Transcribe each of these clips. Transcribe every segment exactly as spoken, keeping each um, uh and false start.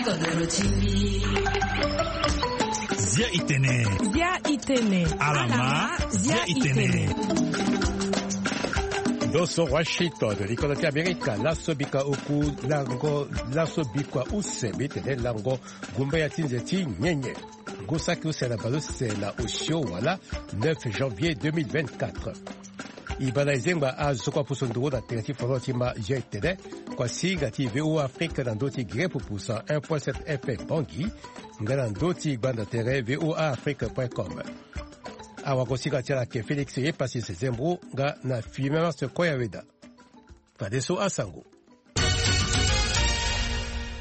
Zia itene. Zia itene. Alama. Zia itene. Ndo so Washington, likolo ti Amerika. Laso bikua oku lango, laso bikua use, mbi tene lango gumbaya ti nze ti nyenye. Ngu saki use na baleuse na osio wala neuf janvier deux mille vingt-quatre. E baa na e zengba azo kua pusu nduru na tere ti folon ti ma G T D. Kua singa ti V O A Afrique na ndö ti Guinée pupu cent un point sept F M Bangui, nga na ndö ti gbanda tere V O A Afrique point com. Awagosinga ti ala ayeke Félix Yepasi Sezembro nga na Fimemas Koyaweda. Fadeso asango.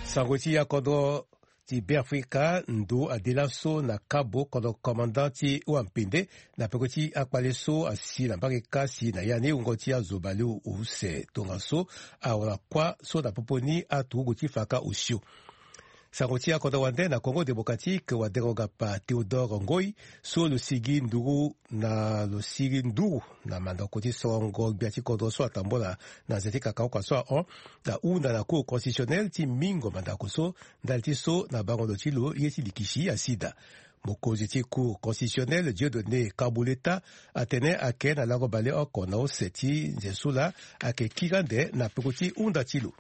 Sango ti akodro ti Beafrika, ndo ade laso na Kabo, kodro commandant ti Wampende, na peko ti akpale so asi na mbage kasi na ya ni wungo ti azo baleuse tongaso awara kuâ so na popo ni aturugu ti faka osio. Sango ti akodro wande na Congo Démocratique, wadengo gapa Théodore Ngoy, so lo sigi nduru na, lo sigi nduru na mandako ti sorongo gbia ti kodro so atambula na nze ti kakaoka so ahon, ahunda na Cour constitutionnelle ti mingo mandako so, ndali ti so na bango lo ti lo ye ti likisi asi daa. Mokonzi ti Cour constitutionnelle, Dieudonné Kabuleta, atene ayeke na lango baleoko na use ti nze so laa ayeke kiri ande na peko ti hunda ti lo.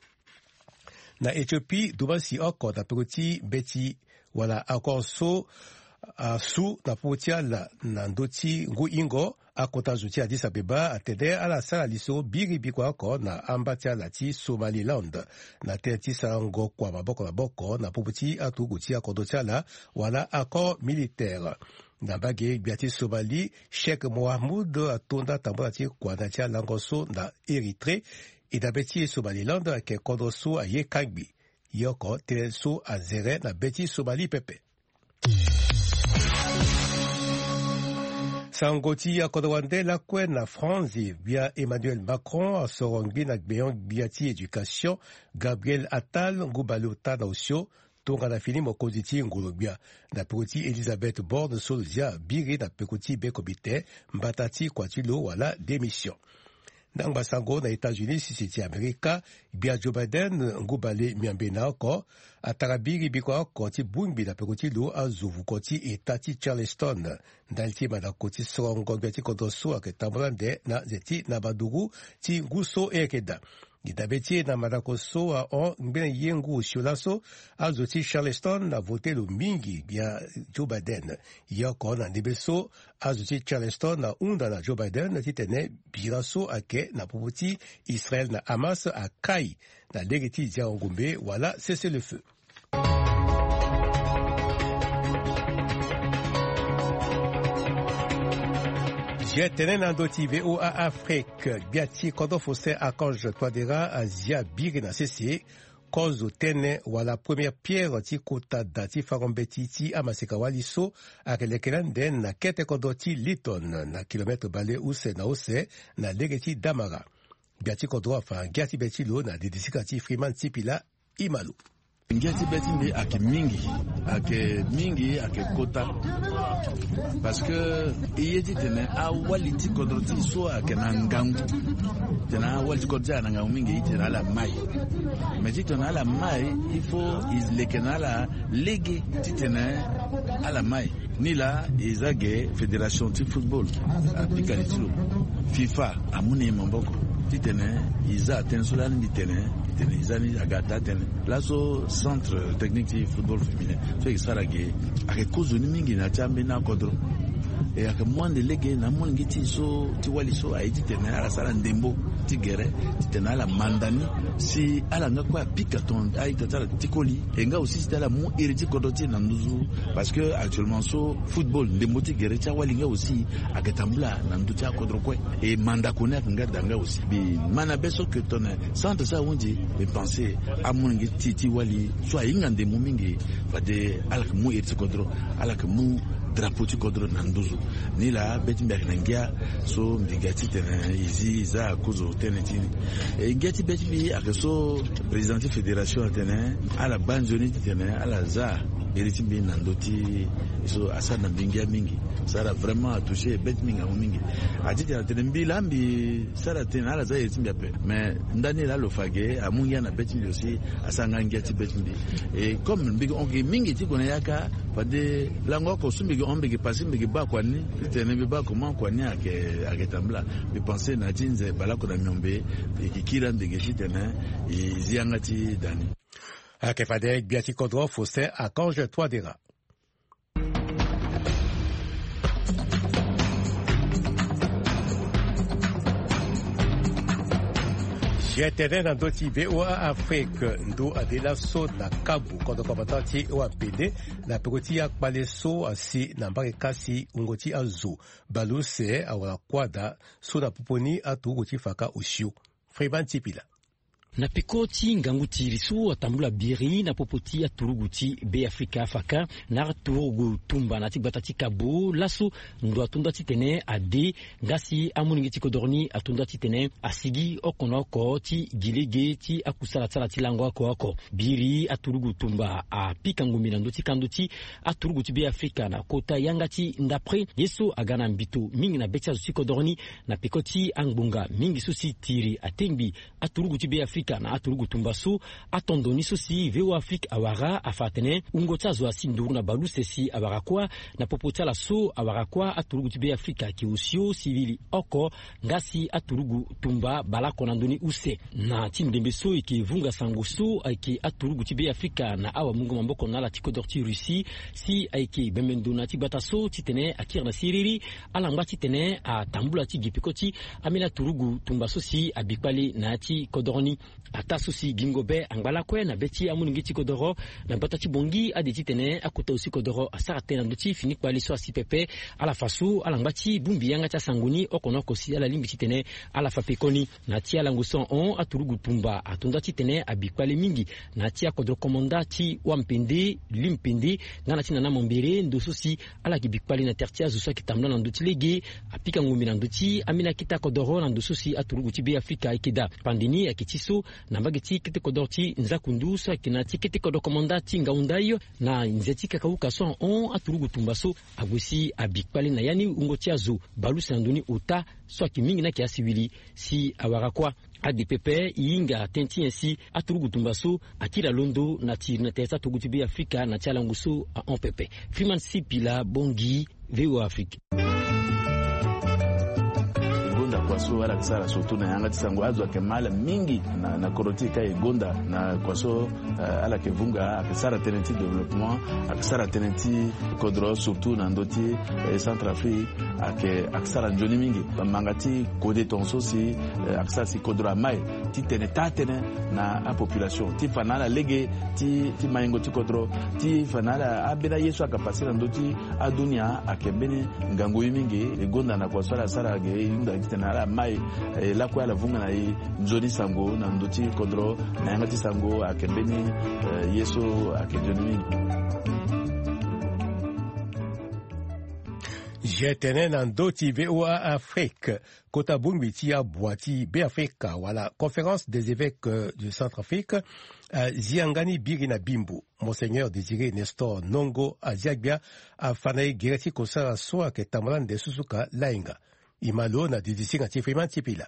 Na Éthiopie, dumansi oko na peko ti mbeti wala accord so asu na popo ti ala na ndö ti ngu hingo, akota zo ti Addis Abeba atene ala sara lisoro biri bikua oko na amba ti ala ti Somaliland na tënë ti sarango kua maboko na maboko na popo ti aturugu ti akodro ti ala wala accord militaire. Na mbage gbia ti Somali, Cheikh Mohamud atonda tambula ti kua na ya ti alango so na Érythrée. E dabe ti e Somaliland ayeke kodro so aye kangbi. Ye oko tënë so azere na be ti Somali pepe. Sango ti akodro wande lakue na France, gbia Emmanuel Macron asoro ngbi na gbenyo-gbia ti éducation, Gabriel Attal, ngu baleota na osio, tongana fini mokonzi ti ngolo-gbia, na peko ti Elisabeth Borne so lo zia biri na peko ti be komite mbata ti kua ti lo wala démission. Ndangba sango na États-Unis, sese ti Amerika, gbia Joe Biden, ngu bale miombe na oko, atara biri bikua oko ti bongbi na peko ti lo azo vuko ti eta ti Charleston, ndali ti mandako ti sorongo gbia ti kodro so ayeke tambula ande na nze ti nabaduru ti ngu so e yeke daa. Gi dabe ti e na mandako so ahon ngbene ye ngu osio laso, azo ti Charleston avote lo mingi gbia Joe Biden. Ye oko na ndembe so, azo ti Charleston ahunda na Joe Biden titene bira so ayeke na popo ti Israël na Hamas akai na lege ti ziango ngombe wala cessez-le-feu. Ye tene na ndö ti V O A Afrique, gbia ti kodro Faustin Archange Touadéra azia biri na sese kozo tënë wala première pierre ti kota da ti fango mbeti ti amaseka-wali so ayeke leke ni ande na kete kodro ti Lytton, na kilomètre bale use na use na lege ti Damara. Gbia ti kodro afa ngia ti be ti lo na didisika ti Freeman Sipila Imalo. Ngia ti be ti mbi ayeke mingi, ayeke mingi, ayeke kota. Parce que e ye titene awali ti kodro ti e so ayeke na ngangu. Titene awali ti kodro ti e ayeke na ngangu mingi, titene ala mai. Mais titene ala mai, il faut e leke na ala lege titene ala mai. Ni laa e za ge fédération ti football apika li ti lo. FIFA amu na e maboko titene e za tënë so lani mbi tene, titene e za ni aga taa tënë. Laso centre technique ti football féminin so e sara ge ayeke kozoni mingi na ya ti ambeni akodro. E ayeke mu ande lege na amolenge ti e so ti wali so aye titene ala sara ndembo ti gere, titene ala manda ni, si ala nga kue apika tongana a-ita ti ala ti koli. E nga aussi si ala mu iri ti kodro ti e na nduzu. Parce que actuellement so football, ndembo ti gere ti awali nga aussi ayeke tambula na ndö ti akodro kue. E mandako ni ayeke nga daa nga aussi. Mbi ma na be so ke tongana centre so ahunzi, mbi pense amolenge ti e ti wali so ahinga ndembo mingi, fade ala yeke mu iri ti kodro, ala yeke mu drapeau ti kodro na nduzu. Ni laa be ti mbi ayeke na ngia so mbi ga titene e zi e za kozo tënë ti ni. E ngia ti be ti mbi ayeke so président ti fédération atene ala baa nzoni titene ala za Iri ti mbi na ndö ti so asara na mbi ngia mingi. Sara vraiment atoucher bête mingi, amu mingi. Ati tena tene mbi la mbi sara tena ala za iri ti mbi ape. Mais ndani la lo fa ge amu ngia na bête mbi aussi, asara nga ngia ti bête mbi. Et comme mbi ke hon ge mingi ti gue na yaka, fade lango oko so mbi ke hon, mbi ke pasi, mbi ke baa kua ni. Ti tene mbi baa comment kua ni ayeke, ayeke tambula. Mbi pense na ti nze baleoko na miombe, e ke kiri ande ge ti tene e zi yanga ti da ni. Ayeke fade gbia ti kodro Faustin Archange Touadéra. G T N na ndö ti V O A Afrique, ndo ade laso na kabu kodro komandan ti wa pede na peko ti akpale so asi na mbage kasi wungo ti azo baleuse awara kuâ daa so na popo ni aturugu ti faka osio. Freeman Tipila. Na peko ti ngangu ti iri so atambula biri na popo ti aturugu ti Be Afrika, faka na aturugu tumba na ya ti gbata ti kabo laso, ndo atonda titene ade, nga si amolenge ti kodoro ni atonda titene asigi oko na oko ti gi lege ti akusala ti ala ti lango oko oko. Biri aturugu tumba apika ngombe na ndö ti kando ti aturugu ti Be Afrika na kota yanga ti ndapre ye so aga na mbito mingi na be ti azo ti kodoro ni, na peko ti angbonga mingi so si tiri atengbi aturugu ti Be Afrika na aturugu tumba so. Atondo ni so si V O A Afrique awara afa atene wungo ti azo asi nduru na baleuse si awara kuâ. Na popo ti ala so awara kuâ, aturugu ti Be Afrika ayeke osio sivili oko, nga si aturugu tumba baleoko na ndö ni use. Na ti ndembe so e yeke vunga sango so ayeke aturugu ti Be Afrika na awamungo maboko na ala ti kodoro ti Russie, si ayeke bembe ndo na ya ti gbata so titene akiri na siriri, alangba titene atambula ti gi peko ti ambeni aturugu tumba so si abi kpale na ya ti kodoro ni. Ataa so si gingo be angba lakue na be ti amolenge ti kodoro na gbata ti Bangui ade titene akota zo ti kodoro asara tënë na ndö ti fini kpale so asi pepe. Ala fa so alangba ti bongbi yanga ti asango ni oko na oko si ala lingbi titene ala fa pekoni. Na ya ti alango so ahon, aturugu tumba atonda titene abi kpale mingi na ya ti akodro komanda ti Wampende, Limpende, nga na ti Nana Mambere, ndo so si ala yeke bi kpale na tere ti azo so ayeke tambula na ndö ti lege. Apika ngombe na ndö ti ambeni akete akodoro na ndo so si aturugu ti Be Afrika ayeke daa. Pande ni ayeke ti so na mbage ti kete kodoro ti Nzakundu so ayeke na ya ti kete kodoro komanda ti Ngaoundai, na nze ti kakauka so ahon, aturugu tumba so ague si abi kpale na ya ni wungo ti azo baleuse na ndö ni ota so ayeke mingi ni ayeke asiwili si awara kuâ. Ade pepe, e hinga tënë ti nyen si aturugu tumba so akiri alondo na tiri na tere ti aturugu ti Be Afrika na ya ti alango so ahon pepe. Freeman Sipila, Bangui, V O A Afrique. E gonda kua so ala yeke sara surtout na yanga ti sango, azo ayeke ma ala mingi na, na kodro ti e ka e gonda na kua so, eh, ala yeke vunga, ayeke sara tënë ti développement, ayeke sara tënë ti kodro surtout na ndö ti, eh, Centrafrique. Ayeke, ayeke sara nzoni mingi. Manga ti kode tongaso si, eh, ayeke sara si kodro amai titene taa tënë na apopulation ti fa na ala lege ti, ti maingo ti kodro, ti fa na ala ambeni aye so ayeke pase na ndö ti adunia. Ayeke mbeni ngangu ye mingi. E gonda na kua so ala sara ge, e hunda titene ala mai, eh, lakue ala vunga na e nzoni sango na ndö ti kodro. Na yanga ti sango ayeke mbeni, eh, ye so ayeke nzoni mingi. G T N na ndö ti V O A Afrique. Kota bongbi ti abua ti Be Afrika wala Conférence des évêques, euh, du Centrafrique, euh, zi yanga ni biri na Bimbo. Monseigneur Désiré Nestor Nongo azia gbia, afa na e gere ti kosara so ayeke tambula nde susuka lainga. E ma lo na didisinga ti Freeman Sipila.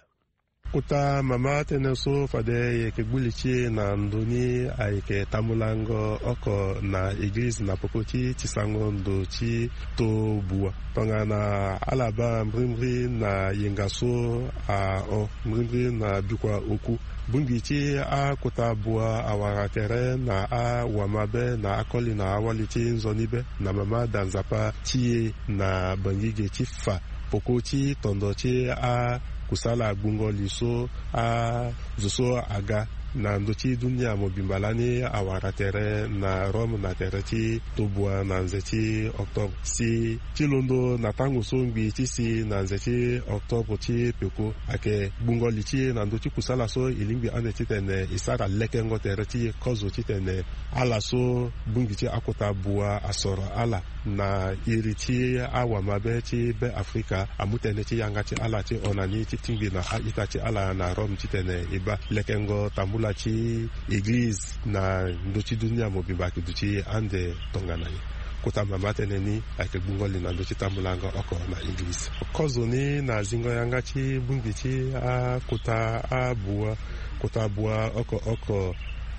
Kota mama tënë so fade e yeke gbu li ti e na ndö ni ayeke tambulango oko na eglize na popo ti, ti sango ndo ti to bua. Tongana ala baa mbrimbri na yenga so ahon, mbrimbri na bikua oku. Bongbi ti akota bua awara tere na awamabe na akoli na awali ti nzoni be na mama da nzapa ti e na Bangui ge ti fa poko ti tondo ti akusala gbungo li so azo so aga na ndö ti dunia mobimba lani awara tere na Rome na tere ti tobua na nze ti octobre. Si ti londo na tango so ngbii ti si na nze ti octobre ti peko ayeke gbungo li ti e na ndö ti kusala so e lingbi ande titene e sara lekengo tere ti e kozo titene ala so bongbi ti akota bua asoro ala na iri ti awamabe ti Be Afrika amu tënë ti yanga ti ala ti hon na ni ti tingbi na a-ita ti ala na Rome titene e baa lekengo tambula Ala ti eglize na ndö ti dunia mobimba ayeke duti ande tongana nyen? Kota mama tënë ni ayeke gbungo li na ndö ti tambulango oko na eglize. Kozo ni na zingo yanga ti bongbi ti akota abua, kota abua oko oko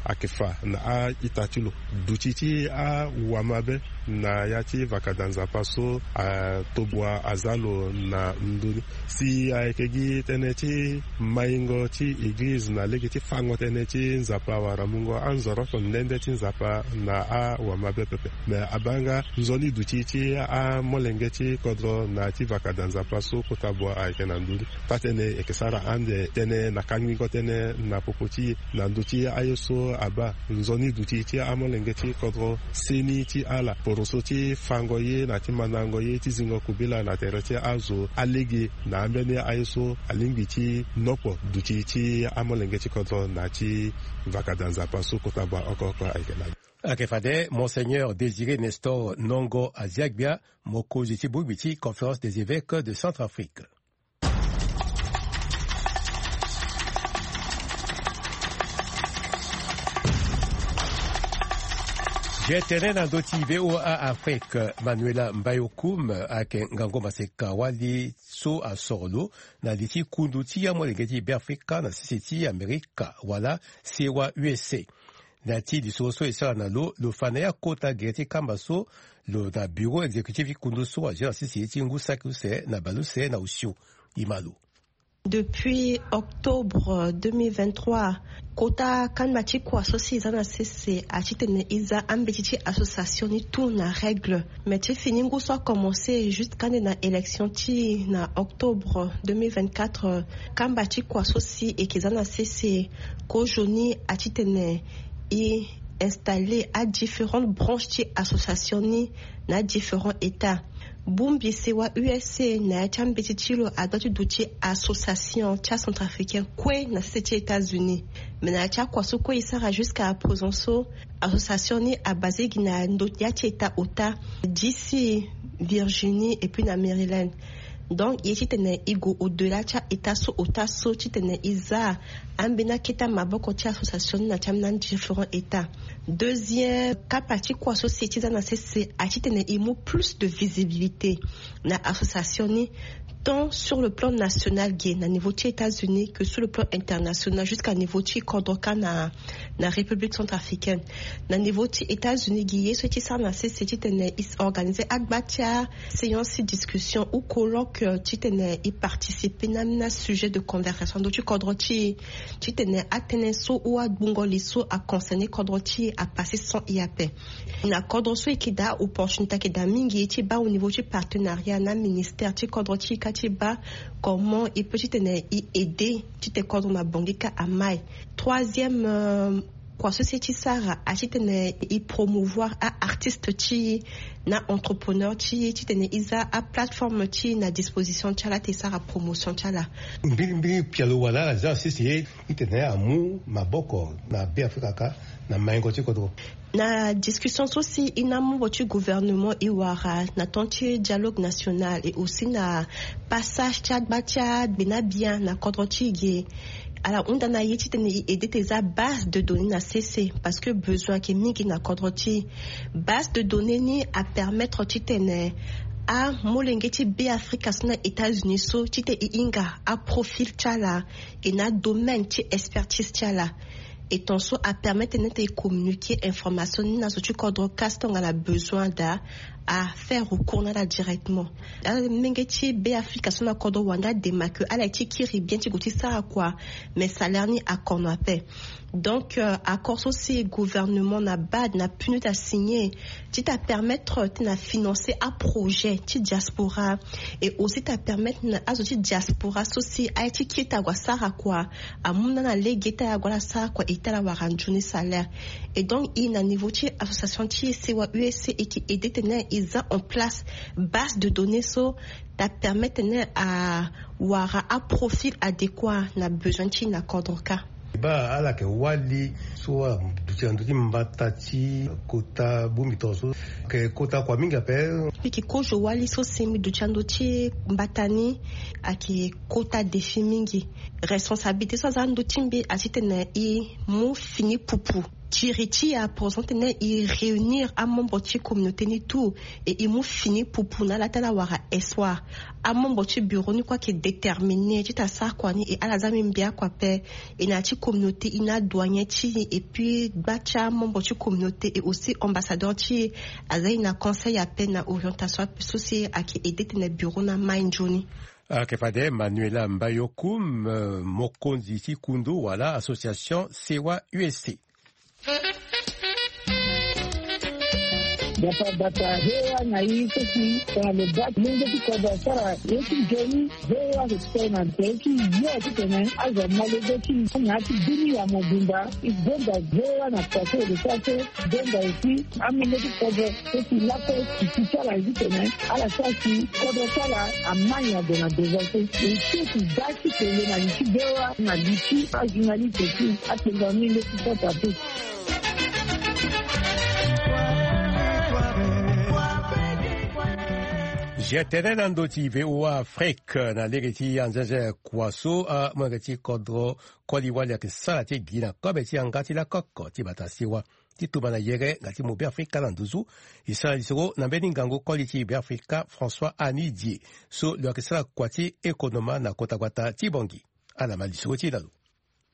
ayeke fa na a-ita ti lo. Duti ti awamabe na ya ti vakada Nzapa so atobua aza lo na ndö ni. Si ayeke gi tënë ti maingo ti eglize na lege ti fango tënë ti Nzapa wala mungo anzoro oko nde nde ti Nzapa na awamabe pepe. Me abaa nga nzoni duti ti amolenge ti kodro na ya ti vakada Nzapa so kota bua ayeke na ndö ni. Taa-tënë eke sara ande tënë na kangingo tënë na popo ti e na ndö ti aye so abaa. Nzoni duti ti amolenge ti kodro seni ti ala poroso ti fango ye na ti mandango ye ti zingo kobela na tere ti azo alege na ambeni aye so alingbi ti nokpo duti ti amolenge ti kodro na ti vakada Nzapa so kota bua oko oko ayeke na. Ayeke fade Monseigneur Désiré Nestor Nongo Aziagbia, mokonzi ti bongbi ti Conférence des Évêques de Centrafrique. Ge tene na ndö ti VOA Afrique, Manuela Mbayokoum ayeke ngangu maseka wali so asoro lo na li ti kundu ti amolenge ti Beafrika na sese ti Amerika wala sewa U S A. Na ya ti lisoro so e sara na lo, lo fa na ya kota gere ti kamba so lo na bureau exécutif ti kundu so azo na sese ti ngu saki use na bale use na osio. E ma lo. Depuis octobre deux mille vingt-trois, kota kanda ti kua so si e za na sese ati tene e za ambeti ti association ni tout na règle. Mais ti fini ngu so akomense jusqu'à ande na élection ti na octobre deux mille vingt-quatre, kamba ti kua so si e ke za na sese kozoni ati tene e installer à différentes branches ti association ni na différents états. Bongbi sewa U S A na ya ti ambeti ti lo adoit ti duti association ti acentrafricain kue na sese ti États-Unis. Mais na ya ti akua so kue e sara jusqu'à présent so, association ni abase gi na ndo ya ti état ota, D C, Virginie et puis na Maryland. Donc e ye ti tene e gue au-delà ti a-état so ota so ti tene e za ambeni akete maboko ti association ni na ti ambeni différents états. Deuxième kapa ti kua so si e ti za na sese ati tene e mu plus de visibilité na association ni, tant sur le plan national ge na niveau ti États-Unis que sur le plan international jusqu'à niveau ti kodro kâ na na République centrafricaine. Na niveau ti États-Unis ge ye so e ti sara na sese ti tene e organiser agba ti a séance ti discussion ou colloque ti tene e participer na ambeni sujet de conversation ndo ti kodro ti e, ti tene atënë so ou agbungo li so aconcerner kodro ti e apasser sans e ape. Na kodro so e yeke daa opportunité ayeke daa mingi ti baa au niveau ti partenariat na ministère ti kodro ti e kâ ti baa comment e peut ti tene e aider ti tene kodro mabongi kâ amai. Troisième kua so si e ti sara ati tene e promouvoir a-artiste ti e na entrepreneur ti e ti tene e za aplateforme ti e na disposition ti ala ti e sara promotion ti ala. Mbirimbiri pialo wala ala za na sese ye ti tene amu maboko na Beafrika kâ na maingo ti kodro. Na discussion so si e na membre ti gouvernement e wara na temps ti dialogue national et aussi na passage ti agba ti agbena bien na kodro ti e ge, ala hunda na e ti tene e aider ti e za base de données na sese parce que besoin ayeke mingi na kodro ti e. Base de données ni apermettre ti tene amolenge ti Beafrika so na États-Unis so ti tene e hinga aprofil ti ala e na domaine ti expertise ti ala. Et ton so apermettre ni ti e communiquer information ni na zo ti kodro kâ si tongana besoin daa afaire recours na ala directement. Amolenge ti Beafrika so na kodro wande adema ke ala ye ti kiri bien ti gue ti sara kua, mais salaire ni akono ape. Donc accord so si gouvernement na BAD na PNUD asigner ti ta permettre ti na financer aprojet ti diaspora, et aussi ta permettre na azo ti diaspora so si aye ti kiri ti ague asara kua, amu na na lege ti ague ala sara kua et ti ala wara nzoni salaire. Et donc e na niveau ti association ti e sewa U S A e ke aider tene e za en place base de données so ta permettre tene awara aprofil adéquat na besoin ti e na kodro kâ. Baa ala yeke wali so aduti Ti na ndö ti mbata ti kota bongbi tongana so, ayeke kota kua mingi ape. Mbi yeke kozo wali so si mbi duti na ndö ti mbata ni, ayeke kota défi mingi. Responsabilité so aza na ndö ti mbi aye titene e mu fini pupu tiri ti e, pour exemple titene e réunir amembre ti communauté ni tout, et e mu fini pupu na ala ti ala wara espoir. Amembre ti bureau ni kue ayeke déterminé titene asara kua ni, et ala za mbi mbi akua ape. E na ya ti communauté e na adoyen ti e, et puis gba ti amembre ti communauté et aussi ambassadeur ti e aza e na conseil ape na orientation ape so si ayeke aidé titene bureau ni amai nzoni. Ayeke fade Manuela Mbayokoum, euh, mokonzi ti kundu wala association Sewa U S C. Bata bata, V O A na i so si tongana lo baa ti lenge ti kodro asara ye ti nzoni, V O A ayeke sara na nze ti yo titene azo amolenge ti na ya ti dunia mobimba. E gonda V O A na kua so e lo sara so, e gonda aussi amolenge ti kodro so si lakue e ti ti ala ye titene ala sara si kodro ti ala amai ade na devant so. E ti e ti daa ti kele na li ti V O A na li ti ajournaliste ti atengo amolenge ti kota te. Zia tënë na ndö ti V O A Afrique na lege ti anzenze kua so amolenge ti kodro koli wali ayeke sara ti gi na kobe ti yanga ti lakoko ti bata siwa ti tumba na yere nga ti mo Beafrika na nduzu. E sara lisoro na mbeni ngangu koli ti Beafrika François Anidie so lo yeke sara kua ti ekonoma na kota gbata ti Bangui. Ala ma lisoro ti e na lo.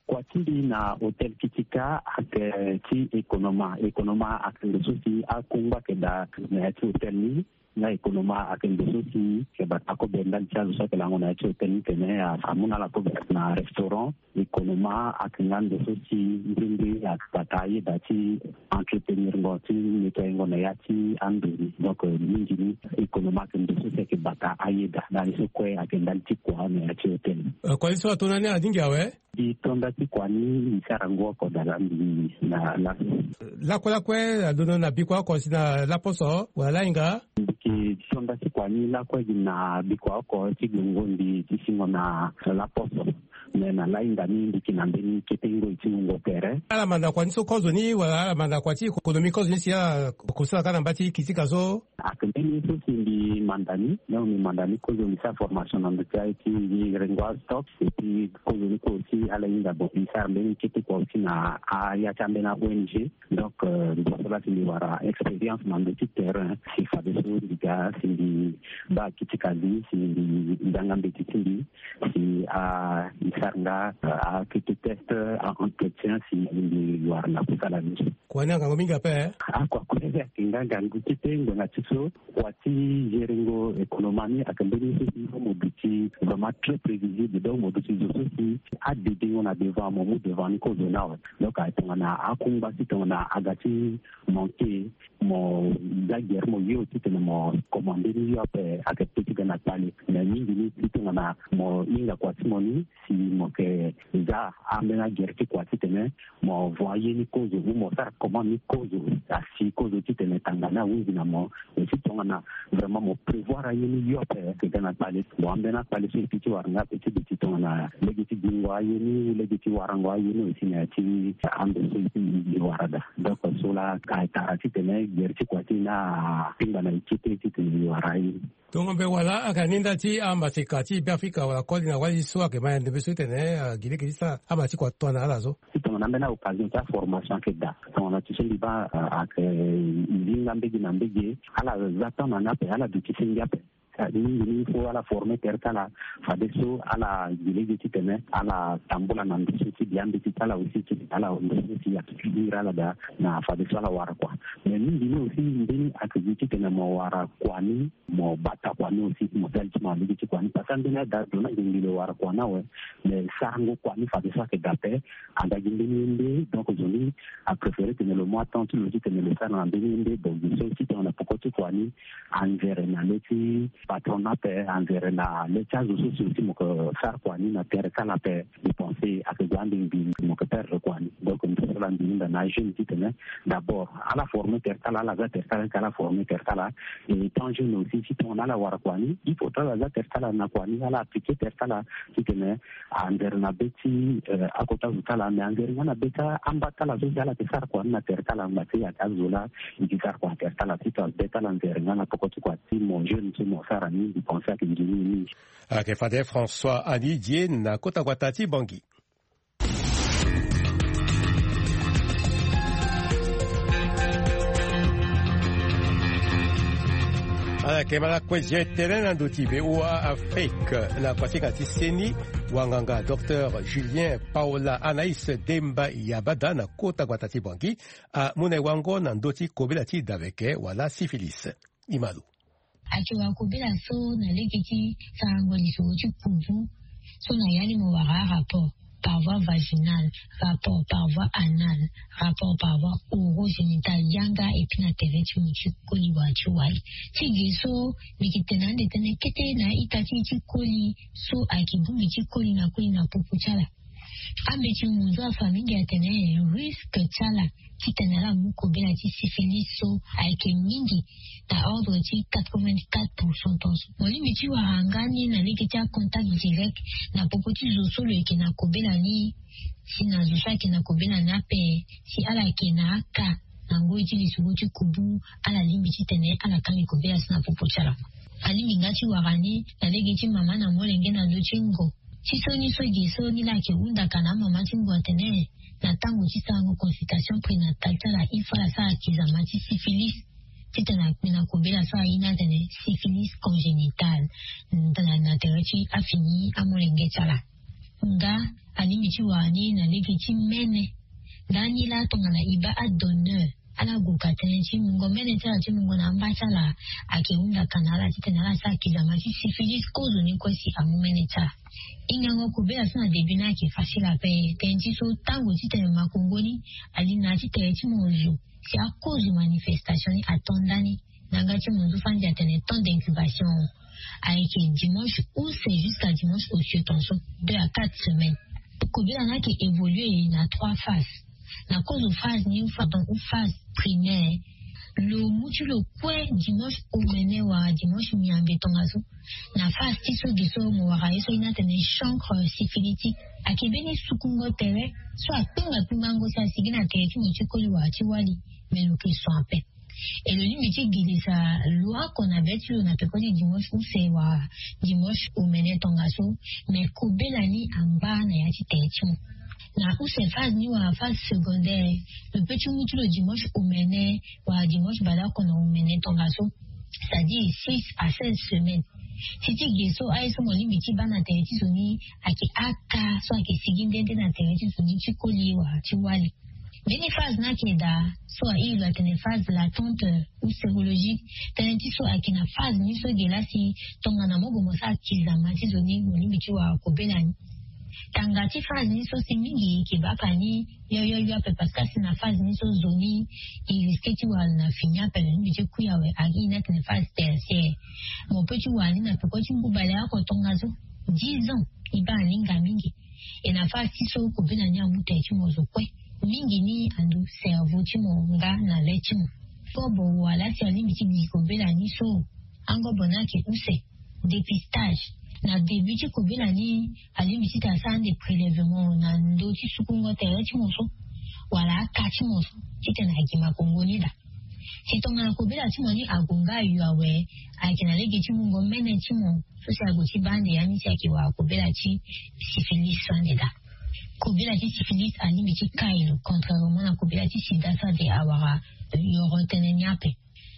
Kua ti mbi na hôtel Kitika ayeke ti ekonoma. Ekonoma ayeke ndo so si akungba ayeke daa na ya ti hôtel ni. Nga ekonoma ayeke ndo so si ayeke bata kobe ndali ti azo so ayeke lango na ya ti hôtel ni tene a, amu na ala kobe na restaurant. Ekonoma ayeke nga ndo so si nzengbe ayeke bata ayeda ti entretenir ngo ti nettoyer ngo na ya ti ando ni. Donc, euh, mingi ni ekonoma ayeke ndo so si ayeke bata ayeda. Ndali so kue ayeke ndali ti kua na ya ti hôtel ni. Euh, kua ni so ato na ni alingbi awe? Mbi to nda ti kua ni, mbi sara ngu oko daa na mbi na laso. Lakue lakue alondo na bikua oko si na laposo wala lahinga? Mbi yeke to nda ti kua ni lakue gi na bikua oko ti gongo mbi ti singo na laposo. Me na lahinga ni mbi yeke na mbeni kete ngoi ti wungo tere. Ala manda kua ni so kozo ni wala ala manda kua ti kokonomi kozo ni si ala kosala kâ na mba ti Kitika so? Ayeke mbeni ye so si mbi manda ni, donc mbi manda ni kozo mbi sara formation na ndö ti aye ti mbi rengo astock, et puis kozo ni kue aussi ala hinga bon mbi sara mbeni kete kua aussi na aya ti ambeni a-O N G. Donc, euh, ndo so laa si mbi wara expérience na ndö ti terrain si fadeso mbi ga si mbi baa Kitika zi si mbi zanga mbeti ti mbi. Si a, mbi sara nga, a, akete test, a, entretien si mbi wara na kusala ni so. Kua ni angangu mingi ape, eh? Akua kue ayeke nga ngangu kete ngbanga ti so. Kua ti gérer ngo ekonoma ni ayeke mbeni so si mo duti vraiment très prévisible. Donc mo duti zo so si adede ngo na devant, mo mu devant ni kozo ni awe. Donc aye tongana akungba ti tongana aga ti manquer, mo za gere mo yo titene mo commande ni yo ape ayeke pe ti ga na kpale. Mais mingi ni si tongana mo hinga kua ti mo ni si mo yeke za ambeni agere ti kua titene mo vo aye ni kozo ou mo sara commande ni kozo, asi kozo titene tanga ni ahunzi na mo. Mais si tongana vraiment mo prévoir aye ni yo ape ayeke ga na kpale, mo ambeni akpale so e pi ti wara nga ape ti duti tongana lege ti gingo aye ni, lege ti warango aye ni aussi na ya ti ando so e wara daa. Donc so laa ayeke tara titene gere ti kua ti e ni akpingba na e kete titene e wara aye ni. Tongombe wala ayeke na ni nda ti amaseka ti Beafrika wala koli na wali so ayeke ma ya ndembe so titene, ah, gi lege ti sara ama ti kua tongana ala so? Si tongana ambeni a-occasion ti aformation ayeke daa, tongana ti so mbi baa, ah, ayeke zi nga mbage na mbage, ala za temps na ni ape, ala duti senge ape. Ah, mingi ni il faut ala former tere ti ala, fadeso ala gi lege titene ala tambula na ndo so ti biambeti ti ala aussi titene ala ndo so si ayeke ti iri ala daa na fadeso ala wara kua. Mais mingi ni aussi mbeni ayeke gi titene mo wara kua ni, mo bata kua ni aussi, mo sali ti mo na lege ti kua ni. Parce que ambeni ada azo ni ayeke ngbili wara kua ni awe. Mais sarango kua ni fadeso ayeke daa ape, aga gi mbeni ye nde. Donc zo ni apréféré tene lo mu atemps ti lo titene lo sara na mbeni ye nde. Donc gi so ti tongana peko ti kua ni anzere na le ti Patron ni ape anzere na le ti azo so si aussi mo ke sara kua ni na tere kala ape. Dépenser ake gue ande mbi mo ke perdre kua ni. Donc mbi so la mbi hinda na ajeune titene d'abord ala former tere kala ala za tere kala eke ala former tere kala. Et tant jeune aussi si tongana ala wara kua ni il faut tala ala za tere kala na kua ni ala appliquer tere kala titene anzere na be ti akota zo tala mais anzere nga na be ti amba tala so si ala ke sara kua ni na tere kala nga ti ake azo la. Eke sara kua na tere kala si to abe tala anzere nga na poko ti kua ti mo jeune so mo sara ni mbi pense ake nzoni mingi. Ake fade françois anidie na kota guata ti bangi. Ala yeke ma lakue zia etene na ndo ti be wa afrique na kuasinga ti seni. Wanganga docteur julien paola anais demba yabada na kota guata ti bangi amu na e wango na ndo ti kobela ti daveke wala sifilis. Imalo. Ake wara kobela so na lege ti sarango lisoro ti kubu so na ya ni mo wara arapport par voie vaginale, rapport par voie anale, rapport par voie orogénitale yanga epui na tere ti mo ti koli wala ti wali. Ti ge so mbi yeke tene ande tënë kete na a-ita ti e ti koli so ayeke bongbi ti koli na koli na popo ti ala. Ambeti munzu afa mingi atene risque ti ala titene ala mu kobela ti sifilis so ayeke mingi na ordre ti quatre-vingt-quatre pour cent tonso. Mo lingbi ti wara nga ni na lege ti acontact direct na popo ti zo so lo yeke na kobela ni si na zo so ayeke na kobela ni ape si ala yeke na aka na ngoi ti lisoro ti kubu ala lingbi titene ala kangi kobela so na popo ti ala. Alingbi nga ti wara ni na lege ti mama na molenge na ndö ti ngo ti so ni so ge so ni laa ayeke hunda ka na amama ti ngu atene na tango ti sarango consultation prénatale ti ala il faut ala sara kizama ti sifilis titene akpe na kobela so aye ni atene syphilis congénitale. Na tere ti afini amolenge ti ala nga alingbi ti wara ni na lege ti mene. Ndani laa tongana e baa adonneur ala gue ka tënë ti mungo mene ti ala ti mungo na amba ti ala ayeke hunda ka na ala titene ala sara kizama ti sifilis kozo ni kue si amu mene ti ala. Hingango kobela so na début ni ayeke facile ape tënë ti so tango titene makongo ni ali na ya ti tere ti mo zo si akozo manifestation ni ato ndani. Na yanga ti mo nzu fani atene temps d'incubation ayeke dimanche use jusqu'à dimanche osieu tonso deux à quatre semaines. Kobela ni ayeke évoluer na trois phases. Na kozo phase ni ou phase primaire lo mu ti lo kue dimanche omene wala dimanche miambe tongaso. Na phase ti so ge so mo wara ye so ye ni atene chancre syphilitique ayeke mbeni sukungo tere so akpengba kpengbango si asigi na tere ti mo ti koli wala ti wali. Me lo yeke so ape. E lo lingbi ti girisa lo oko na be ti lo na peko ti dimanche use wala dimanche omene tongaso. Me kobela ni angba na ya ti tere ti mo na use phase ni wala phase secondaire. Lo pe ti mu ti lo dimanche omene wala dimanche baleoko na omene tongaso c'est-à-dire six à seize semaines. Si ti ge so aye so mo lingbi ti baa na tere ti zo ni ayeke aka so ayeke sigi nde nde na tere ti zo ni ti koli wala ti wali. Mbeni phase ni ayeke daa so airi lo atene phase latente ou sérologique. Tënë ti so ayeke na phase ni so ge laa si tongana mo gue mo sara kizama ti zo ni mo lingbi ti wara kobela ni. Tanga ti phase ni so si mingi e yeke baa ka ni yoyoyo ape parce que asi na phase ni so zo ni e risque ti wara lo na fini ape lo lingbi ti kui awe. Airi ni atene phase tertiaire. Mo pe ti wara ni na peko ti ngu baleoko tongaso dix ans. E baa aninga mingi. E na phase ti so kobela ni amu tere ti mo zo kue mingi ni ando cerveau ti mo nga na le ti mo. Kobo wala si alingbi ti gi kobela ni so angobo ni ayeke use dépistage. Na début ti kobela ni alingbi ti tene asara ande prélèvement na ndö ti sukungo tere ti mo so wala aka ti mo so titene agi makongo ni daa. Si tongana kobela ti mo ni ague nga ayo awe ayeke na lege ti mungo mene ti mo so si ague ti baa ande ya ni si ayeke wara kobela ti syphilis so ande daa. Kobela ti syphilis alingbi ti kai lo contrairement na kobela ti sida so ade awara yoro tënë ni ape.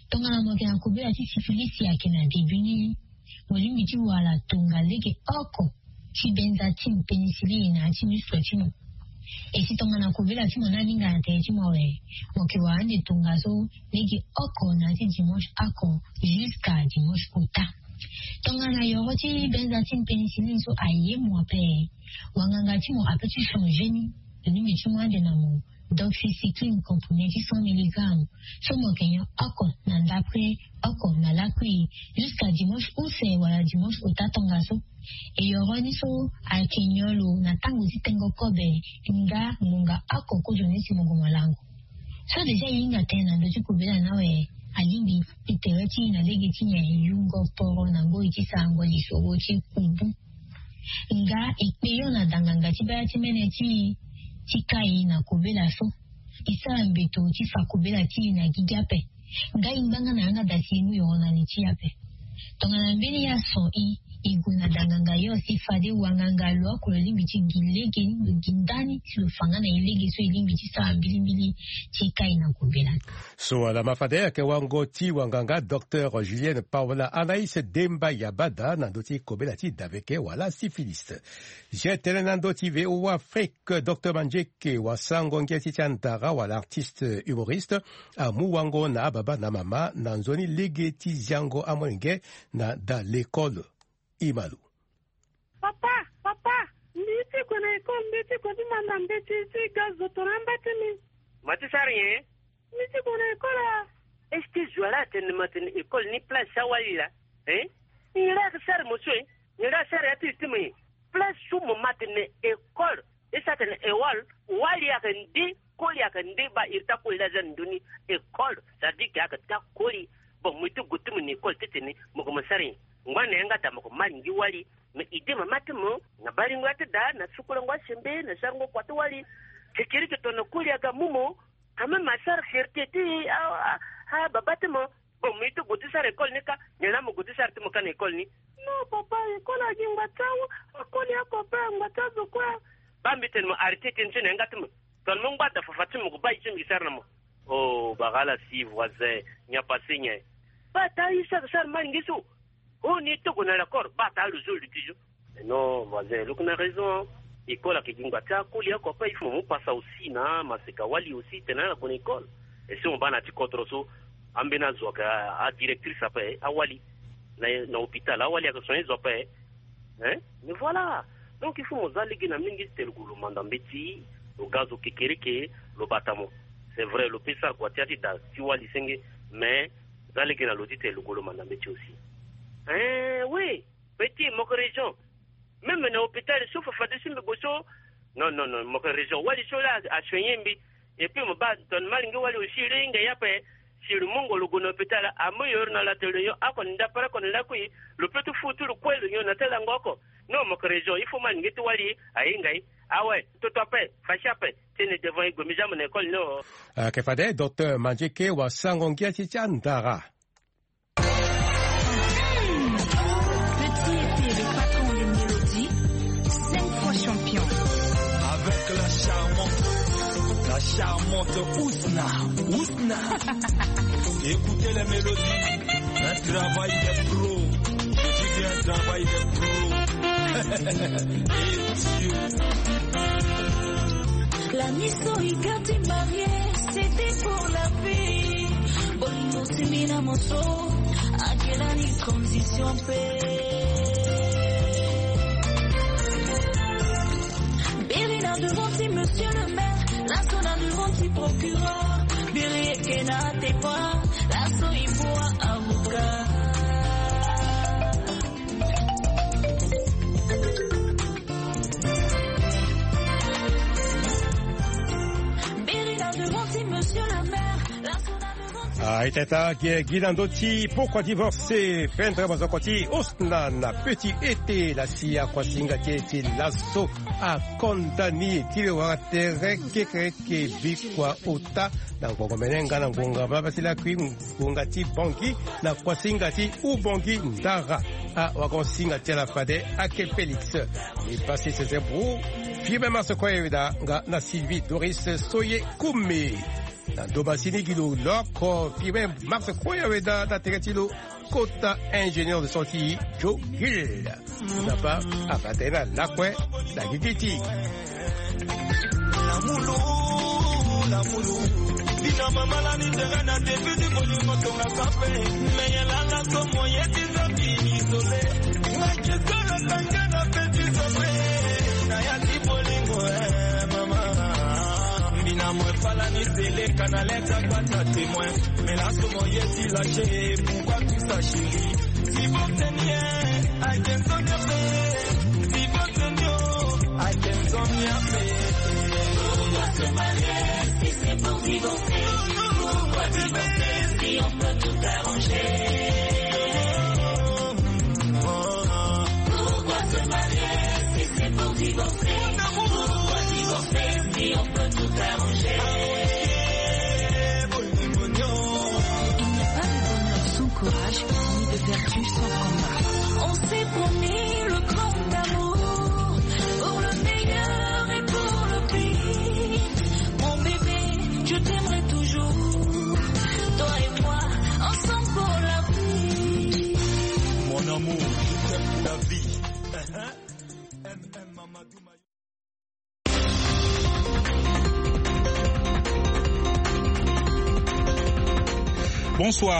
Tongana mo yeke na kobela ti syphilis si ayeke na début ni mo lingbi ti wara tonga lege oko ti benzatine pénicilline na ya ti muscle ti mo. E si tongana kobela ti mo ni aninga na tere ti mo awe mo yeke wara ande tongaso lege oko na ya ti dimanche oko jusqu'à dimanche ota. Tongana yoro ti benzatine pénicilline so aye mo ape wanganga ti mo ape ti changer ni. Alingbi ti mu ande na mo doxycycline comprimé ti cent milligrammes so mo yeke nyon oko na ndap. kue oko na lakui jusqu'à dimanche use wala dimanche ota tongaso. Eyoro ni so ayeke nyon lo na tango ti tengo kobe nga ngonga oko kozo ni si mo gue mo lango. So déjà e hinga tënë na ndö ti kobela ni awe, alingbi e tere ti e na lege ti nyen e yungo poro na ngoi ti sarango lisoro ti kubu. Nga e kpe yo na danganga ti baya ti mene ti e ti kai na kobela so. E sara mbeto ti fa kobela ti e na gigi ape. Nga e ngbanga na yanga da si e mu yoro na li ti e ape. Tongana mbeni ya son i, i gue na danganga yo si fade wanganga lo oko lo lingbi ti gi lege ni lo gi ndani si lo fa nga na e lege so e lingbi ti sara mbilimbili ti kai na kobela ni. So ala ma fade ayeke wango ti wanganga docteur Julienne Paola Anaïs Demba Yabada na ndö ti kobela ti daveke wala syphilis. Zia tënë na ndö ti V O A Afrique, docteur Mandieke wasango ngia ti ti andara wala artiste humoriste amu wango na ababa na mama na nzoni lege ti ziango amolenge na da l'école. Imalu. Papa, papa, mbi ti gue na école, mbi ti gue ti manda mbeti ti ga zo tongana amba ti mbi. Ma ti sara nyen? Mbi ti gue na école a. Est-ce que zo ala atene ma tene école ni place awali laa? Hein? Nyen la ayeke sara mo so e? Nyen la asara ya ti li ti mo e? Place so mo ma tene école. Esa tene école, wali ayeke nde, koli ayeke nde, ba iri ti akoli la aza na ndö ni. École, ça veut dire que ayeke ti akoli. Bon, mo ye ti gue ti mo na école titene mo gue mo sara nyen? Ngba na yanga da mo gue mo malingi wali. Mais idée mama ti mo na baringo ya ti da na sukulango asembe na sarango kua ti wali. Kekereke tongana koli aga mu mo, quand même asara fierté ti a, a, a baba ti mo. Bon, mo ye ti gue ti sara école ni ka, nyen la mo gue ti sara ti mo ka na école ni? Non papa, école agi ngba ti awu, akoli oko ape ngba ti azo kue. Ba mbi tene mo arrêté tënë so na yanga ti mo. Tongana mo ngba da fafa ti mo gue baa ye ti mbi sara na mo. Oh, bara ala si voisin, nyen apassé nyen? Ba taa ye sara sara malingi so. Oh, ni ti gue na l'accord, ba taa lo zo luti zo. Non voisin, lo yeke na raison. École ayeke gi ngba ti akoli oko ape, il faut mo mu pasa aussi na maseka wali aussi tene ala gue na école. Et si mo baa na ya ti kodro so, ambeni azo ayeke a, adirectrice ape, awali. Na, na hôpital awali ayeke soigner zo ape. Hein? Mais voilà. Donc il faut mo za lege na mingi ti tene lo gue lo manda mbeti, lo ga zo kekereke, lo bata mo. C'est vrai, lo peut sara kua ti ya ti da ti wali senge, mais za lege na lo ti tene lo gue lo manda mbeti aussi. Hein, oui. Petit, mo yeke raison. Même na hôpital so fafade so mbi gue so. Non, non, non, mo yeke raison. Wali so la asoigner mbi. Et puis mo baa tongana malingi wali aussi lo hinga ye ape. Si lo mungo lo gue na hôpital, amu yoro na lato lo nyon oko na ndapara oko na lakui. Lo peut ti fu ti lo kue lo nyon na ti lango oko. Non, mo yeke raison. Il faut malingi ti wali ahinga ye. Awe, toto ape, fashi ape. Tene devant ye gue mbi za mo na école ni o. Ayeke fade docteur Mandieke wasango ngia ti ti andara. Petit était le patron des mélodies, cinq fois champion. Avec la charmante, la charmante Ousna. Ousna. Écoutez les mélodies. Un travail de pro. Je dis bien un travail de pro. Et Dieu. La miso ikati marié, c'était pour la vie. Bolingo simina moso, akelani condition pe. Biri na devant ti monsieur le maire, laso na devant ti procureur. Biri eke na tepa, laso ipoa avocat. Biri na devant ti monsieur le maire, laso na devant ti. Ah, itata gi, gi na ndö ti pourquoi divorcer, pendre mazoko ti Ousna na petit été, la si akuasinga ti e ti laso akondani ti le wara tere kekereke bikua ota na ngonga mene nga na ngonga baba ti lakui ngonga ti bongi na kuasinga ti ubongi ndara. Ah, wagonsinga ti ala fade ake Félix. E pasi sese bru. Firme Marse Koyeweda nga na Sylvie Doris Soye Koume. Na ndö masini gi lo loko Firme Marse Koyeweda na tere ti lo kota ingénieur de son ti Joe Gill. Nzapa abata ye na lakue na gigi ti. Lamulu, lamulu. Bina mama la ni tere na début du bolingo tonga sape. Meye lala so moye ti Nzambi isolé. Ngai ke solo tanga na petit sombre. Na ya ti bolingo, eh, mama. Bina mo fala ni seleka Na leta gbata témoin, mais là, comment y est-il lâché? Pourquoi tout ça, chérie? Si vous teniez, I can turn your face. Si vous teniez, I can turn your face. Pourquoi se marier si c'est pour divorcer? Pourquoi divorcer si on peut tout arranger? Pourquoi se marier si c'est pour divorcer? Pourquoi divorcer si on peut tout arranger? Il n'y a pas de bonheur sans courage, ni de vertu sans combat. On s'est promis le grand amour pour le meilleur et pour le pire. Mon bébé, je t'aimerai toujours. Toi et moi, ensemble pour la vie. Mon amour, je t'aime pour la vie. M M Mamadou Mayo. Bonsoir.